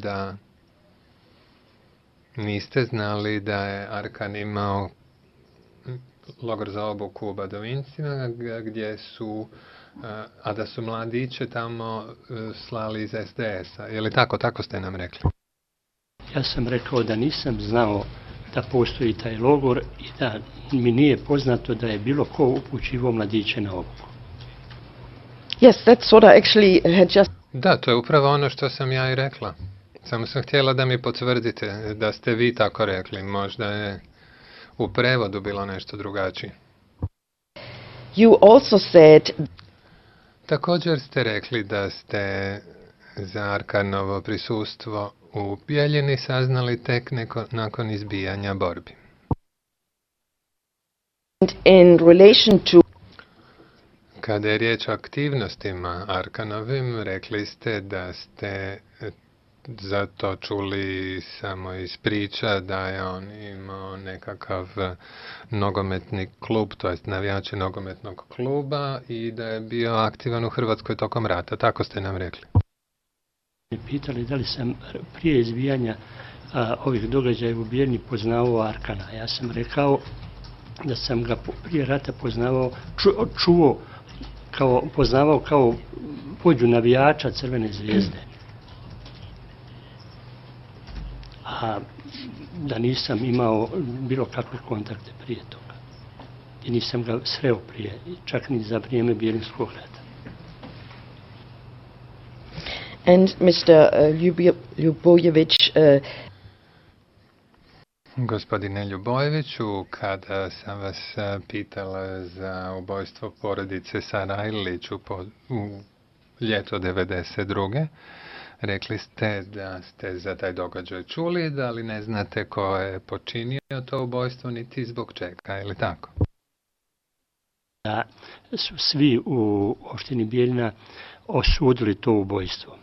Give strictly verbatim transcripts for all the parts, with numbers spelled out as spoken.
da niste znali da je Arkan imao logor za obuku u Badovincima, gdje su, a da su mladiće tamo slali iz es de esa. Je li tako? Tako ste nam rekli. Ja sam rekao da nisam znao da postoji taj logor i da mi nije poznato da je bilo ko upućivao mladiće na obuku. Yes, that's what I actually had just... Da, to je upravo ono što sam ja i rekla. Samo sam htjela da mi potvrdite da ste vi tako rekli. Možda je u prevodu bilo nešto drugačije. You also said... Također ste rekli da ste za Arkanovo prisustvo u Bijeljini saznali tek neko, nakon izbijanja borbi. In relation to... Kada je riječ o aktivnostima Arkanovim, rekli ste da ste zato čuli samo iz priča da je on imao nekakav nogometni klub, to jest navijači nogometnog kluba i da je bio aktivan u Hrvatskoj tokom rata. Tako ste nam rekli. Pitali da li sam prije izbijanja a, ovih događaja u Bijeljini poznavao Arkana. Ja sam rekao da sam ga prije rata poznavao, ču, čuo, kao, poznavao kao vođu navijača Crvene zvijezde. A da nisam imao bilo kakve kontakte prije toga. I nisam ga sreo prije, čak ni za vrijeme Bijeljinskog rata. And mister Ljubojević... Uh... Gospodine Ljubojeviću, kada sam vas pitala za ubojstvo porodice Sarajlić u, u ljeto devedeset druge rekli ste da ste za taj događaj čuli, da li ne znate ko je počinio to ubojstvo, niti zbog čega, je li tako? Da su svi u opštini Bijeljina osudili to ubojstvo.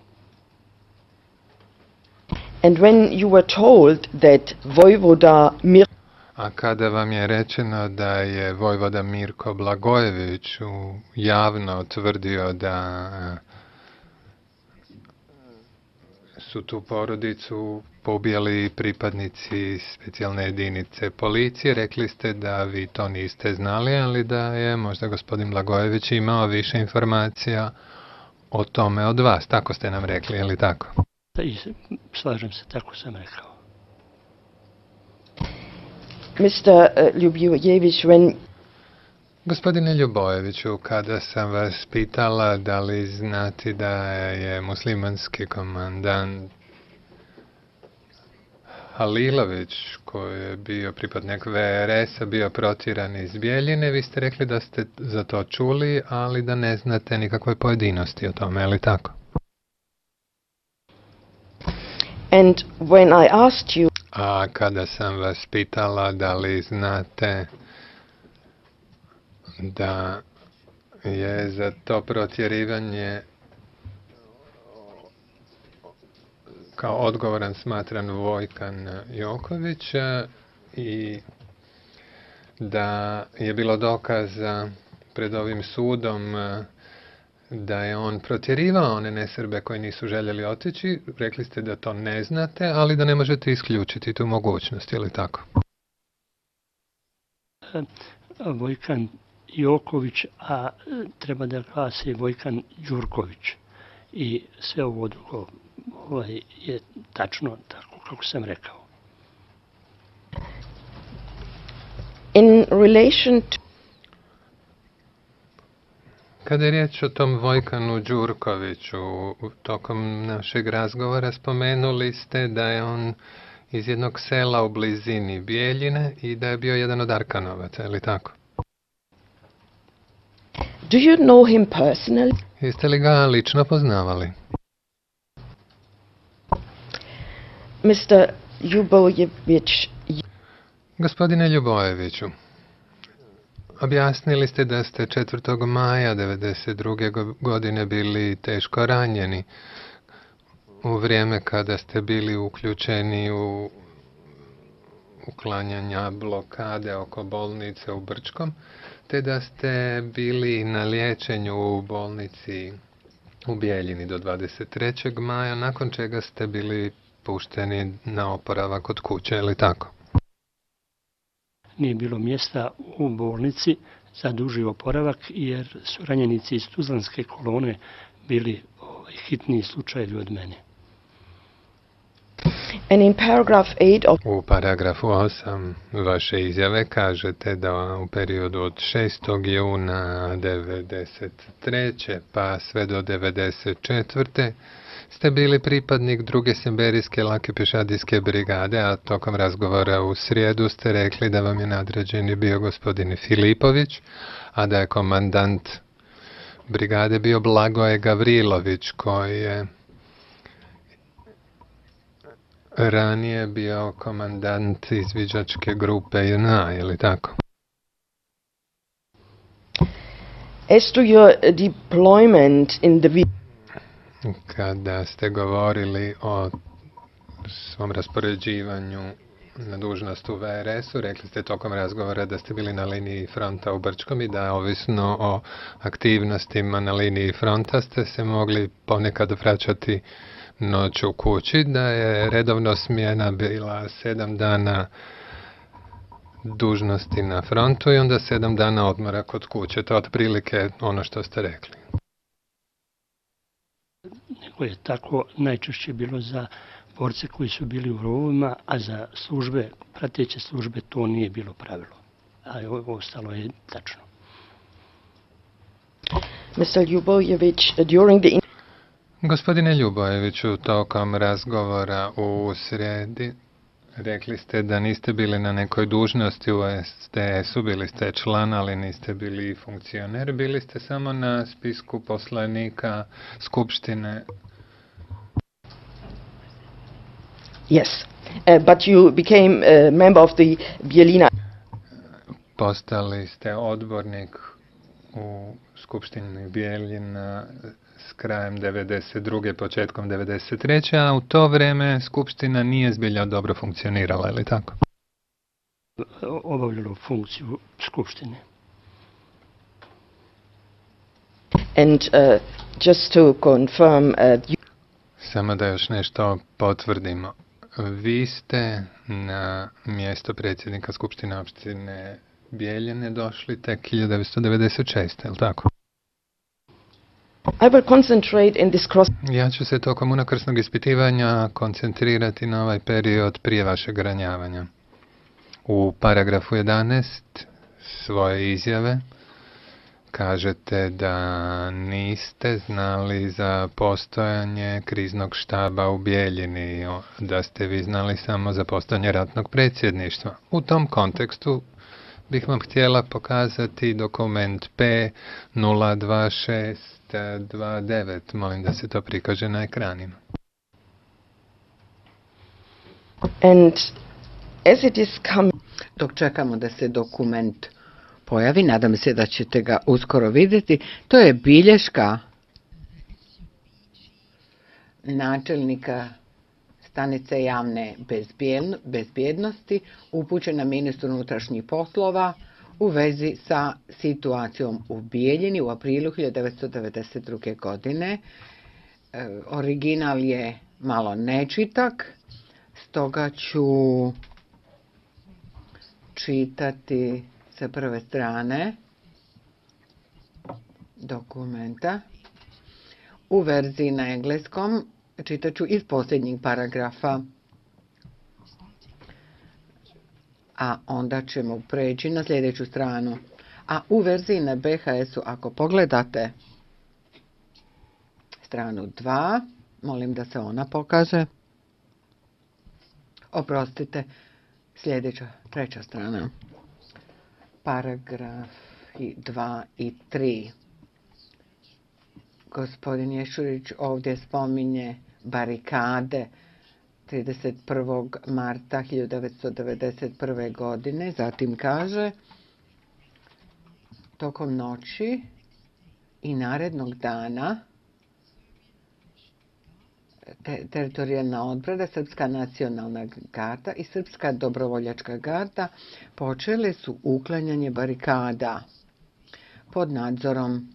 And when you were told that Vojvoda Mir... A kada vam je rečeno da je vojvoda Mirko Blagojević javno tvrdio da su tu porodicu pobijali pripadnici specijalne jedinice policije, rekli ste da vi to niste znali, ali da je možda gospodin Blagojević imao više informacija o tome od vas. Tako ste nam rekli, je li tako? I slažem se, tako sam rekao. mister Ljubojević, when... Gospodine Ljubojeviću, kada sam vas pitala da li znate da je muslimanski komandant Halilović, koji je bio pripadnik ve er esa, bio protjeran iz Bijeljine, vi ste rekli da ste za to čuli, ali da ne znate nikakve pojedinosti o tome, je li tako? And when I asked you... A kada sam vas pitala da li znate da je za to protjerivanje kao odgovoran smatran Vojkan Joković i da je bilo dokaza pred ovim sudom da je on protjerivao one nesrbe koji nisu željeli otići, rekli ste da to ne znate, ali da ne možete isključiti tu mogućnost, je li tako? Vojkan Joković, a treba da glasi Vojkan Đurković. I sve ovo drugo ovaj, je tačno tako kako sam rekao. In relation to... Kada je riječ o tom Vojkanu Đurkoviću, tokom našeg razgovora spomenuli ste da je on iz jednog sela u blizini Bijeljine i da je bio jedan od Arkanovaca, je li tako? Do you know him personally? Jeste li ga lično poznavali? mister Ljubojević... Gospodine Ljubojeviću, objasnili ste da ste četvrtog maja devedeset druge godine bili teško ranjeni u vrijeme kada ste bili uključeni u uklanjanja blokade oko bolnice u Brčkom, te da ste bili na liječenju u bolnici u Bijeljini do dvadeset trećeg maja, nakon čega ste bili pušteni na oporavak od kuće, ili tako? Nije bilo mjesta u bolnici za duži oporavak jer su ranjenici iz Tuzlanske kolone bili ovaj, hitniji slučajevi od mene. And in paragraph eight of U paragrafu osam vaše izjave kažete da u periodu od šestog juna devedeset treće pa sve do devedeset četvrte ste bili pripadnik druge Siberijske lake pješadijske brigade, a tokom razgovora u srijedu ste rekli da vam je nadređeni bio gospodin Filipović, a da je komandant brigade bio Blagoje Gavrilović, koji je ranije bio komandant izviđačke grupe J N A, je li tako? as to your deployment in the Kada ste govorili o svom raspoređivanju na dužnost u V R S-u, rekli ste tokom razgovora da ste bili na liniji fronta u Brčkom i da ovisno o aktivnostima na liniji fronta ste se mogli ponekad vraćati noć u kući, da je redovno smjena bila sedam dana dužnosti na frontu i onda sedam dana odmora kod kuće. To je otprilike ono što ste rekli. Nego je tako najčešće bilo za borce koji su bili u rovovima, a za službe, prateće službe, to nije bilo pravilo. A ovo ostalo je tačno. mister Ljubojević, during the Gospodine Ljubojeviću, tokom razgovora u sredi rekli ste da niste bili na nekoj dužnosti u S D S-u, bili ste član, ali niste bili funkcioner, bili ste samo na spisku poslanika Skupštine. yes, uh, but you became a member of the Bijeljina. Postali ste odbornik u Skupštini Bijeljina s krajem devedeset druge početkom devedeset treće a u to vrijeme Skupština nije zbilja dobro funkcionirala, ili tako? Obavljalo funkciju Skupštine. And uh, just to confirm, uh, you Samo da još nešto potvrdimo. Vi ste na mjesto predsjednika Skupštine opštine Bijeljine došli tek hiljadu devetsto devedeset šeste. je li tako? I will concentrate in this cross. Ja ću se tokom unakrsnog ispitivanja koncentrirati na ovaj period prije vašeg ranjavanja. U paragrafu jedanaest svoje izjave kažete da niste znali za postojanje kriznog štaba u Bijeljini, da ste vi znali samo za postojanje ratnog predsjedništva. U tom kontekstu bih vam htjela pokazati dokument P nula dva šest dva devet. Molim da se to prikaže na ekranima. And as it is coming, Dok čekamo da se dokument pojavi, nadam se da ćete ga uskoro vidjeti, to je bilješka načelnika stanice javne bezbjednosti upućena ministru unutrašnjih poslova u vezi sa situacijom u Bijeljini u aprilu hiljadu devetsto devedeset druge. godine. E, original je malo nečitak, stoga ću čitati sa prve strane dokumenta. U verziji na engleskom čitat ću iz posljednjeg paragrafa, a onda ćemo preći na sljedeću stranu. A u verziji na B H S-u, ako pogledate stranu dva, molim da se ona pokaže. Oprostite, sljedeća, treća strana. Paragrafi dva i tri. Gospodin Ješurić ovdje spominje barikade trideset prvog marta hiljadu devetsto devedeset prve. godine. Zatim kaže, tokom noći i narednog dana te, teritorijalna odbrana, Srpska nacionalna garda i Srpska dobrovoljačka garda počele su uklanjanje barikada pod nadzorom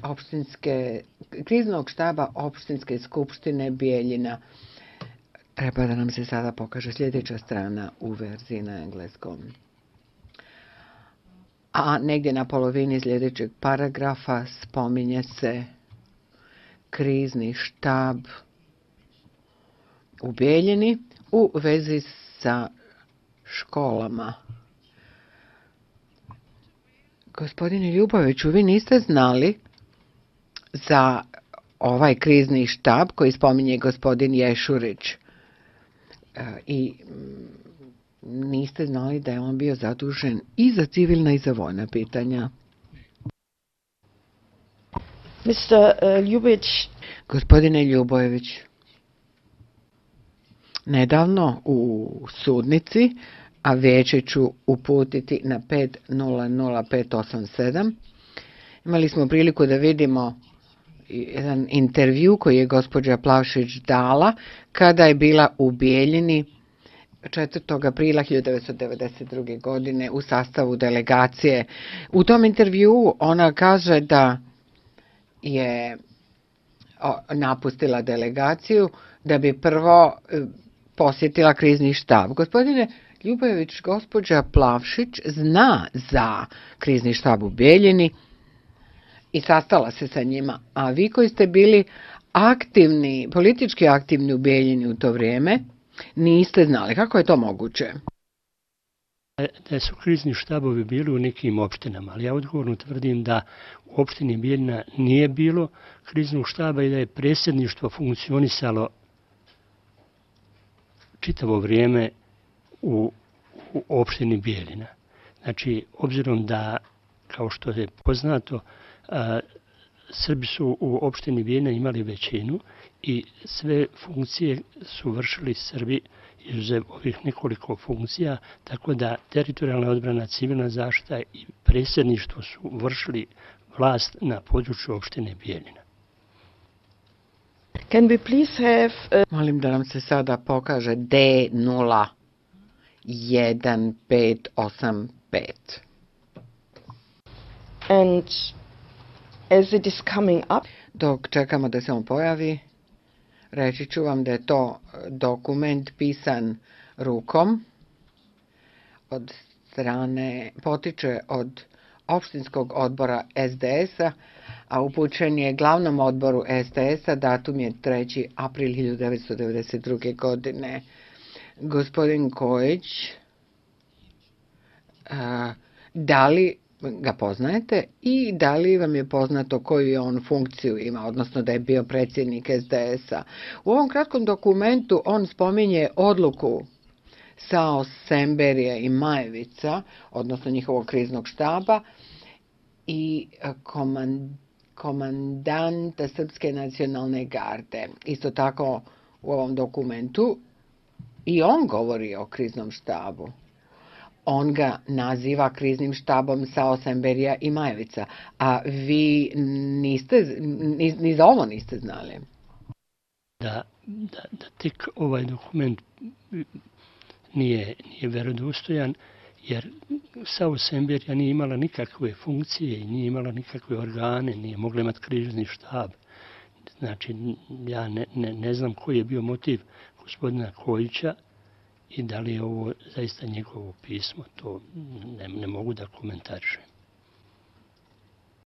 opštinske, kriznog štaba opštinske skupštine Bijeljina. Treba da nam se sada pokaže sljedeća strana u verziji na engleskom. A negdje na polovini sljedećeg paragrafa spominje se krizni štab u Bijeljini u vezi sa školama. Gospodine Ljuboviću, vi niste znali za ovaj krizni štab koji spominje gospodin Ješurić i niste znali da je on bio zadužen i za civilna i za vojna pitanja. mister Ljubović. Gospodine Ljubojević, nedavno u sudnici, a vijeće ću uputiti na pet nula nula pet osam sedam, imali smo priliku da vidimo jedan intervju koji je gospođa Plavšić dala kada je bila u Bijeljini četvrtog aprila hiljadu devetsto devedeset druge. godine u sastavu delegacije. U tom intervjuu ona kaže da je napustila delegaciju da bi prvo posjetila krizni štab. Gospodine Ljubojević, gospođa Plavšić zna za krizni štab u Bijeljini i sastala se sa njima, a vi koji ste bili aktivni, politički aktivni u Bijeljini u to vrijeme, niste znali. Kako je to moguće? Da su krizni štabovi bili u nekim opštinama, ali ja odgovorno tvrdim da u opštini Bijeljina nije bilo kriznog štaba i da je predsjedništvo funkcionisalo čitavo vrijeme u, u opštini Bijeljina. Znači, obzirom da, kao što je poznato, a, Srbi su u opštini Bijeljina imali većinu i sve funkcije su vršili Srbi izuzev ovih nekoliko funkcija, tako da teritorijalna odbrana, civilna zaštita i predsjedništvo su vršili vlast na području opštine Bijeljina. Can we please have... Uh... Molim da nam se sada pokaže D nula jedan pet osam pet. And as it is coming up... Dok čekamo da se on pojavi, reći ću vam da je to dokument pisan rukom od strane, potiče od opštinskog odbora S D S-a, a upućen je glavnom odboru S D S-a, datum je treći april hiljadu devetsto devedeset druge. godine. Gospodin Kojić, a, da li ga poznajete i da li vam je poznato koju je on funkciju ima, odnosno da je bio predsjednik S D S-a. U ovom kratkom dokumentu on spominje odluku Sao Semberija i Majevica, odnosno njihovog kriznog štaba i komand, komandanta Srpske nacionalne garde. Isto tako u ovom dokumentu i on govori o kriznom štabu. On ga naziva kriznim štabom Sao Semberija i Majevica, a vi niste, ni, ni za ovo niste znali. Da, da, da tek ovaj dokument nije, nije verodostojan, jer Sao Semberija nije imala nikakve funkcije i nije imala nikakve organe, nije mogla imati krizni štab. Znači, ja ne, ne, ne znam koji je bio motiv gospodina Kojića i da li je ovo zaista njegovo pismo, to ne, ne mogu da komentarišem.